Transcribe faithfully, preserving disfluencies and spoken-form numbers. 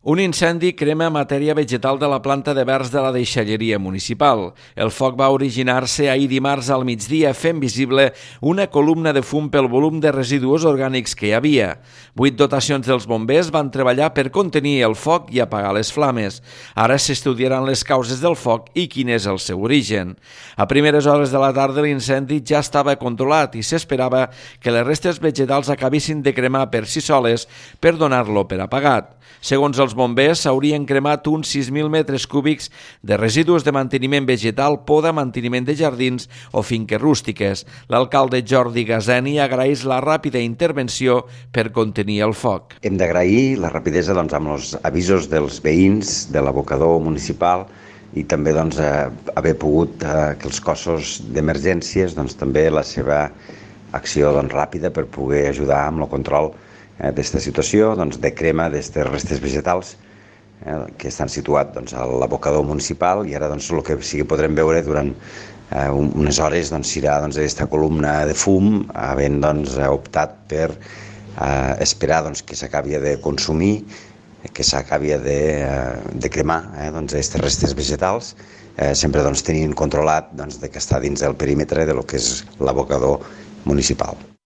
Un incendi crema matèria vegetal de la planta de verds de la deixalleria municipal. El foc va originar-se ahir dimarts al migdia fent visible una columna de fum pel volum de residus orgànics que hi havia. Vuit dotacions dels bombers van treballar per contenir el foc i apagar les flames. Ara s'estudiaran les causes del foc i quin és el seu origen. A primeres hores de la tarda l'incendi ja estava controlat i s'esperava que les restes vegetals acabessin de cremar per si soles per donar-lo per apagat. Segons els bombers, s'haurien cremat uns sis mil metres cúbics de residus de manteniment vegetal, poda, manteniment de jardins o finques rústiques. L'alcalde Jordi Gazeni agraeix la ràpida intervenció per contenir el foc. Hem d'agrair la rapidesa doncs, amb els avisos dels veïns de l'abocador municipal i també doncs, eh, haver pogut eh, que els cossos d'emergències doncs, també la seva acció doncs, ràpida per poder ajudar amb el control d'aquesta situació doncs, de crema d'aquestes restes vegetals eh, que estan situats doncs, a l'abocador municipal i ara doncs, el que sí que podrem veure durant eh, unes hores doncs, serà doncs, aquesta columna de fum havent doncs, optat per eh, esperar doncs, que s'acabi de consumir, que s'acabi de, eh, de cremar eh, doncs, aquestes restes vegetals, eh, sempre doncs, tenint controlat doncs, de que està dins del perímetre de lo que és l'abocador municipal.